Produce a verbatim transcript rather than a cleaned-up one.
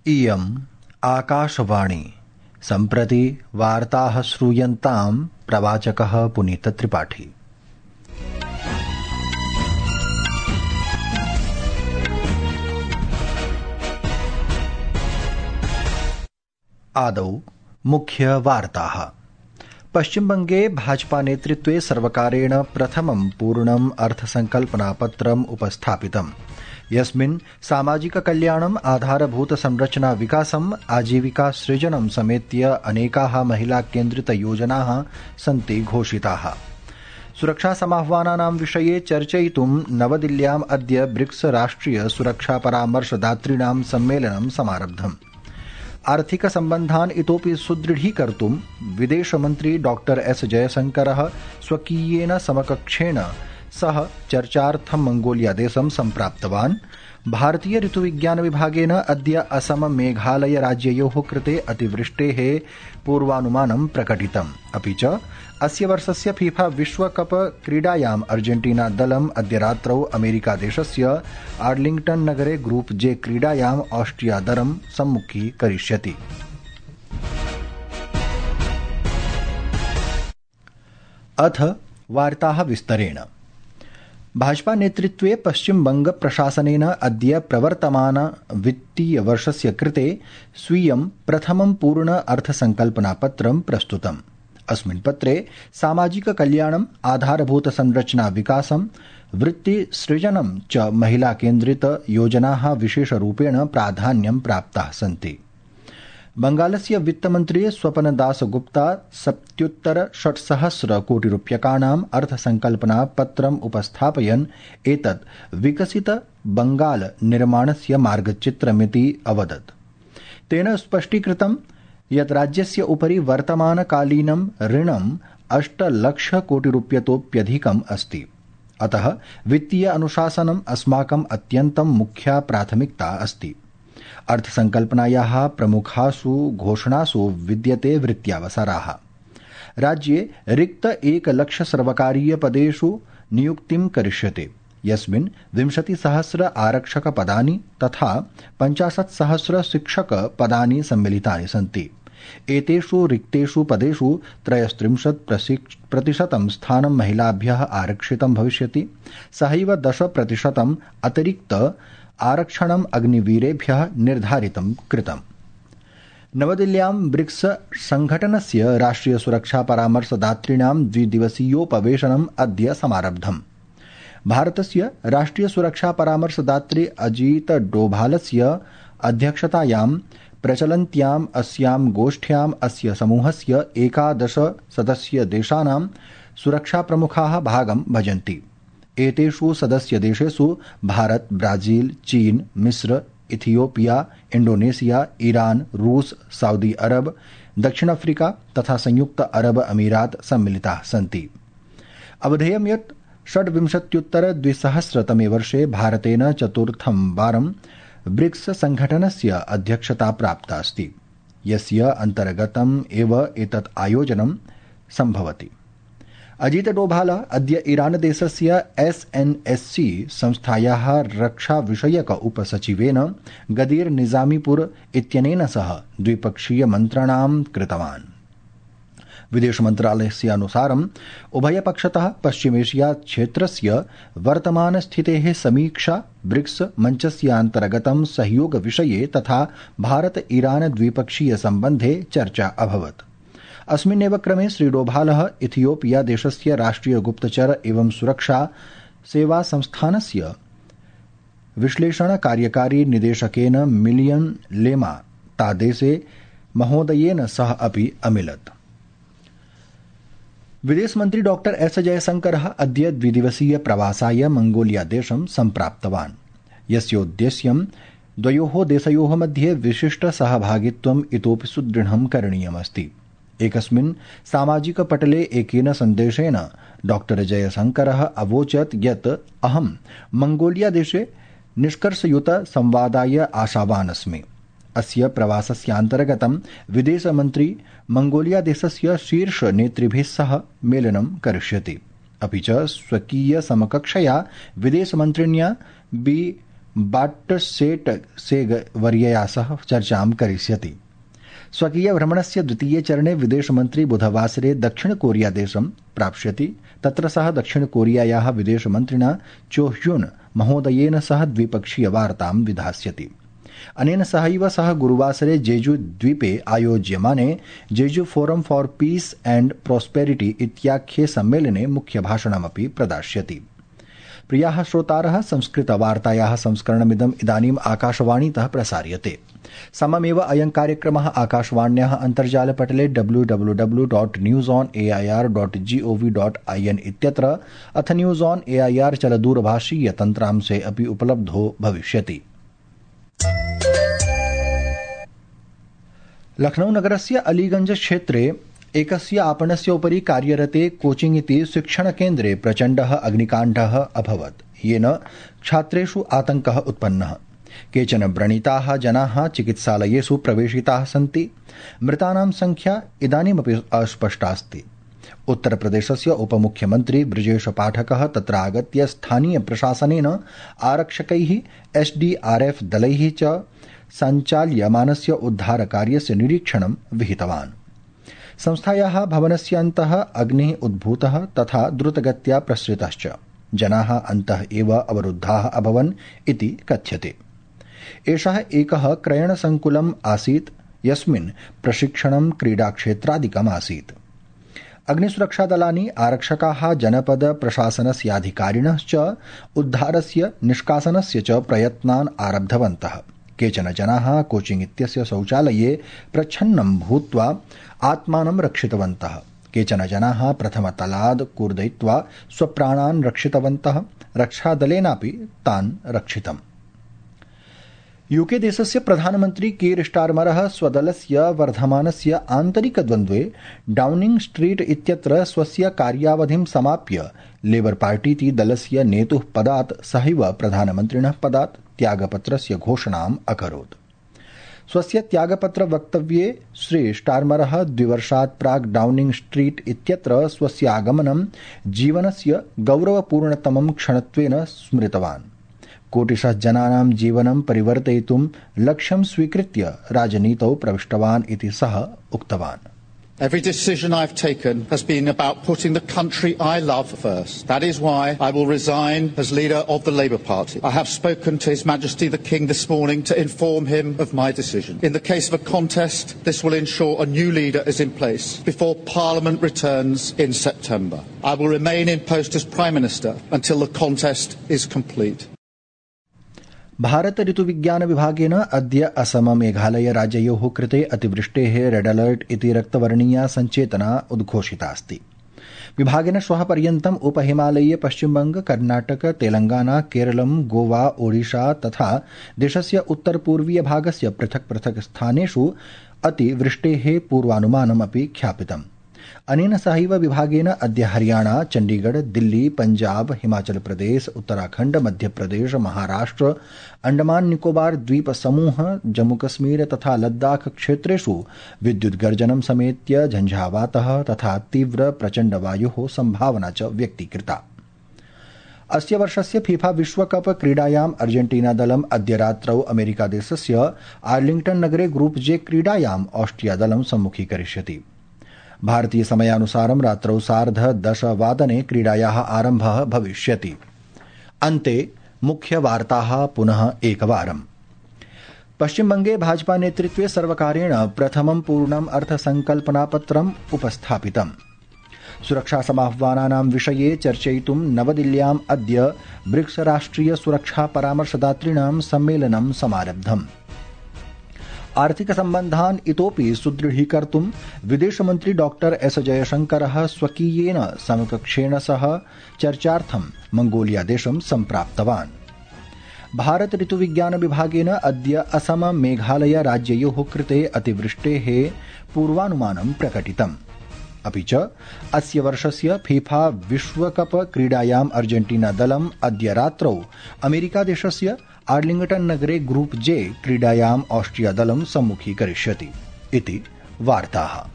इयम् आकाशवाणी। सम्प्रति वार्ताः श्रूयन्ताम् प्रवाचकः पुनीतत्रिपाठी। आदौ मुख्यवार्ताः। पश्चिमबंगे भाजपा नेतृत्वे सर्वकारेण प्रथमं पूर्णम् अर्थसंकल्पनापत्रम् उपस्थापितम्, यस्मिन् सामाजिक कल्याणम्, आधारभूत संरचना विकासम्, आजीविका सृजनं समेत्य अनेकाः महिला केन्द्रित योजनाः सन्ति घोषिताः। सुरक्षा समाह्वानानां विषये चर्चयितुं नवदिल्ल्याम् अद्य ब्रिक्स राष्ट्रिय सुरक्षा परामर्शदातॄणां सम्मेलनं समारब्धम्। आर्थिक सम्बन्धान् इतोपि सुदृढीकर्तुं विदेशमन्त्री डॉक्टर एस जयशंकरः स्वकीयेन समकक्षेण सह चर्चार्थं मंगोलियादेशं सम्प्राप्तवान्। भारतीय ऋतुविज्ञान विभागेन अद्य असम मेघालय राज्ययोः कृते अतिवृष्टेः पूर्वानुमानं प्रकटितम्। अपि च अस्य वर्षस्य फीफा विश्वकप क्रीडायाम् अर्जेन्टीना दलम् अद्य रात्रौ अमेरिकादेशस्य आर्लिंग्टन नगरे ग्रुप जे क्रीडायाम् ऑस्ट्रिया दलं सम्मुखीकरिष्यति। अथ वार्ताः विस्तरेण। भाजपा नेतृत्वे पश्चिमबंग प्रशासनेन अद्य प्रवर्तमान वित्तीय वर्षस्य कृते स्वीयं प्रथमं पूर्ण अर्थसंकल्पनापत्रं प्रस्तुतम्। अस्मिन् पत्रे सामाजिक कल्याणम्, आधारभूत संरचना विकासं, वृत्ति सृजनं च महिला केन्द्रित योजनाः विशेषरूपेण प्राधान्यं प्राप्ताः सन्ति। बंगालस्य वित्तमन्त्री स्वपनदास गुप्ता सप्तत्युत्तर षट्सहस्र कोटिरूप्यकाणाम् अर्थसंकल्पना पत्रम् उपस्थापयन् एतत् विकसित बंगाल निर्माणस्य मार्गचित्रमिति अवदत्। तेन स्पष्टीकृतं यत् राज्यस्य उपरि वर्तमानकालीनं ऋणम् अष्टलक्ष कोटिरूप्यतोप्यधिकम् अस्ति। अतः वित्तीय अनुशासनम् अस्माकम् अत्यन्तं मुख्या प्राथमिकता अस्ति। अर्थसंकल्पनायाः प्रमुखासु घोषणासु विद्यते वृत्त्यावसराः। राज्ये रिक्त एकलक्ष सर्वकारीय पदेषु नियुक्तिं करिष्यते, यस्मिन् विंशतिसहस्र आरक्षक पदानि तथा पञ्चाशत् सहस्र शिक्षक पदानि सम्मिलितानि सन्ति। एतेषु रिक्तेषु पदेषु त्रयस्त्रिंशत् प्रतिशतं स्थानं महिलाभ्यः आरक्षितं भविष्यति। सहैव दश प्रतिशतम् अतिरिक्त आरक्षणम् अग्निवीरेभ्यः निर्धारितं कृतम्। नवदिल्ल्यां ब्रिक्स संघटनस्य राष्ट्रिय सुरक्षा परामर्शदातॄणां द्विदिवसीयोपवेशनम् अद्य समारब्धम्। भारतस्य राष्ट्रिय सुरक्षा परामर्शदात्री अजीत डोभालस्य अध्यक्षतायां प्रचलन्त्याम् अस्यां गोष्ठ्याम् अस्य समूहस्य एकादश सदस्य देशानां सुरक्षा प्रमुखाः भागं भजन्ति। एतेषु सदस्य देशेषु भारत, ब्राजील, चीन, मिस्र, इथियोपिया, इंडोनेशिया, ईरान, रूस, सऊदी अरब, दक्षिण अफ्रीका तथा संयुक्त अरब अमीरात सम्मिलिताः सन्ति। अवधेयं यत् षड्विंशत्युत्तर द्विसहस्रतमे वर्षे भारतेन चतुर्थं वारं ब्रिक्स संघटनस्य अध्यक्षता प्राप्ता अस्ति, यस्य अन्तर्गतम् एव एतत् आयोजनं सम्भवति। अजीत डोभाल अद्य ईरान देशस्य एस एन एस सी संस्थायाः रक्षा विषयक उपसचिवेन गदीर निजामीपुर इत्यनेन सह द्विपक्षीय मन्त्रणां कृतवान्। विदेश मन्त्रालयस्य अनुसारम् उभयपक्षतः पश्चिमेशिया क्षेत्रस्य वर्तमान स्थितेः समीक्षा, ब्रिक्स मञ्चस्यान्तर्गतं सहयोग विषये तथा भारत ईरान द्विपक्षीय सम्बन्धे चर्चा अभवत्। अस्मिन्नेव क्रमे श्री डोभालः इथियोपिया देशस्य राष्ट्रिय गुप्तचर एवं सुरक्षा सेवा संस्थानस्य विश्लेषण कार्यकारी निदेशकेन मिलियन लेमा तादेसे महोदयेन सह अपि अमिलत्। विदेशमन्त्री डॉक्टर एस जयशंकरः अद्य द्विदिवसीय प्रवासाय मंगोलिया देशं सम्प्राप्तवान्, यस्योद्देश्यं द्वयोः देशयोः मध्ये विशिष्ट सहभागित्वम् इतोपि सुदृढं करणीयमस्ति। एकस्मिन् सामाजिक पटले एकेन सन्देशेन डॉक्टर जयशंकरः अवोचत् यत् अहं मंगोलिया देशे निष्कर्षयुत संवादाय आशावान् अस्मि। अस्य प्रवासस्यान्तर्गतं विदेशमन्त्री मंगोलिया देशस्य शीर्ष नेतृभिः सह मेलनं करिष्यति। अपि च स्वकीय समकक्षया विदेशमन्त्रिण्या बी बाट्सेटसेगवर्यया सह चर्चां करिष्यति। स्वकीय भ्रमणस्य द्वितीये चरणे विदेशमन्त्री बुधवासरे दक्षिणकोरियादेशं प्राप्स्यति। तत्र सः दक्षिणकोरियायाः विदेशमन्त्रिणा चो ह्युन महोदयेन सह द्विपक्षीय वार्तां विधास्यति। अनेन सहैव सः गुरुवासरे जेजू द्वीपे आयोज्यमाने Jeju forum for peace and prosperity इत्याख्ये सम्मेलने मुख्यभाषणमपि प्रदास्यति। प्रियाः श्रोतारः, संस्कृतवार्तायाः संस्करणमिदम् इदानीम् आकाशवाणीतः प्रसार्यते। सममेव अयं कार्यक्रमः आकाशवाण्याः अन्तर्जालपटले W W W dot news on A I R dot G O V dot I N इत्यत्र अथ news on A I R चलदूरभाषीय तन्त्रांशे अपि उपलब्धो भविष्यति। लखनऊ नगरस्य अलीगंज क्षेत्रे एकस्य आपणस्य उपरि कार्यरते कोचिंग इति शिक्षणकेन्द्रे प्रचण्डः अग्निकाण्डः अभवत्, येन छात्रेषु आतङ्कः उत्पन्नः। केचन व्रणिताः जनाः चिकित्सालयेषु प्रवेशिताः सन्ति। मृतानां संख्या इदानीमपि अस्पष्टास्ति। उत्तरप्रदेशस्य उपमुख्यमन्त्री ब्रजेश पाठकः तत्र आगत्य स्थानीय प्रशासनेन आरक्षकैः एस डी आर एफ दलैः च सञ्चाल्यमानस्य उद्धारकार्यस्य निरीक्षणं विहितवान्। संस्थायाः भवनस्य अन्तः अग्निः उद्भूतः तथा द्रुतगत्या प्रसृतश्च। जनाः अन्तः एव अवरुद्धाः अभवन् इति कथ्यते। एषः एकः क्रयणसङ्कुलम् आसीत् यस्मिन् प्रशिक्षणं क्रीडाक्षेत्रादिकम् आसीत्। अग्निसुरक्षादलानि आरक्षकाः जनपद प्रशासनस्याधिकारिणश्च उद्धारस्य निष्कासनस्य च प्रयत्नान् आरब्धवन्तः। केचन जनाः कोचिंग इत्यस्य शौचालये प्रच्छन्नं भूत्वा आत्मानं रक्षितवन्तः। केचन जनाः प्रथमतलाद् कूर्दयित्वा स्वप्राणान् रक्षितवन्तः। रक्षादलेनापि तान् रक्षितम्। यूके देशस्य प्रधानमन्त्री कीर स्टारमरः स्वदलस्य वर्धमानस्य आन्तरिकद्वन्द्वे डाउनिंग स्ट्रीट इत्यत्र स्वस्य कार्यावधिं समाप्य लेबर पार्टीति दलस्य नेतुः पदात् सहैव प्रधानमन्त्रिणः पदात् त्यागपत्रस्य घोषणाम् अकरोत्। स्वस्य त्यागपत्र वक्तव्ये श्री स्टारमरः द्विवर्षात् प्राक् डाउनिंग स्ट्रीट इत्यत्र स्वस्य आगमनं जीवनस्य गौरवपूर्णतमं क्षणत्वेन स्मृतवान्। कोटिशः जनानां जीवनं परिवर्तयितुं लक्ष्यं स्वीकृत्य राजनीतौ प्रविष्टवान् इति सः उक्तवान्। Every decision I've taken has been about putting the country I love first. That is why I will resign as leader of the Labour Party. I have spoken to His Majesty the King this morning to inform him of my decision. In the case of a contest, this will ensure a new leader is in place before Parliament returns in September. I will remain in post as Prime Minister until the contest is complete. Bharata ऋतुविज्ञान विभागेन अद्य असम मेघालय राज्ययोः कृते अतिवृष्टेः red alert इति रक्तवर्णीया सञ्चेतना उद्घोषितास्ति। विभागेन श्वः पर्यन्तम् उपहिमालयीय पश्चिमबंग, कर्नाटक, तेलंगाना, केरलम, गोवा, ओडिशा तथा देशस्य उत्तरपूर्वीय भागस्य पृथक् पृथक् स्थानेषु अतिवृष्टेः पूर्वानुमानमपि ख्यापितम्। अनेन सहैव विभागेन अद्य हरियाणा, चण्डीगढ़, दिल्ली, पंजाब, हिमाचल प्रदेश, उत्तराखण्ड, मध्यप्रदेश, महाराष्ट्र, अंडमान निकोबार द्वीप समूह, जम्मू कश्मीर तथा लद्दाख क्षेत्रेषु विद्युद्गर्जनं समेत्य झञ्झावातः तथा तीव्र प्रचण्ड वायोः संभावना च व्यक्तीकृता। अस्य वर्षस्य फीफा विश्वकप क्रीडायाम् अर्जेंटीना दलम् अद्य रात्रौ अमेरिकादेशस्य आर्लिंग्टन नगरे ग्रुप जे क्रीडायाम् ऑस्ट्रिया दलं सम्मुखीकरिष्यति। भारतीय समयानुसारं रात्रौ सार्ध दशवादने क्रीडायाः आरम्भः भविष्यति। अन्ते मुख्यवार्ताः पुनः एकवारम्। पश्चिमबंगे भाजपा नेतृत्वे सर्वकारेण प्रथमं पूर्णम् अर्थसंकल्पनापत्रम् उपस्थापितम्। सुरक्षासमाह्वानानां विषये चर्चयितुं नवदिल्ल्याम् अद्य ब्रिक्स राष्ट्रिय सुरक्षा परामर्शदातॄणां सम्मेलनं समारब्धम्। आर्थिक सम्बन्धान् इतोपि सुदृढीकर्तुं विदेशमन्त्री डॉक्टर एस जयशंकरः स्वकीयेन समकक्षेण सह चर्चार्थं मंगोलिया देशं सम्प्राप्तवान्। भारत ऋतुविज्ञान विभागेन अद्य असम मेघालय राज्ययोः कृते अतिवृष्टेः पूर्वानुमानं प्रकटितम्। अपि च अस्य वर्षस्य फीफा विश्वकप क्रीडायाम् अर्जेंटीना दलम् अद्य रात्रौ अमेरिकादेशस्य आर्लिंगटन नगरे ग्रुप जे क्रीडायाम् ऑस्ट्रिया दलं सम्मुखीकरिष्यति इति वार्ताः।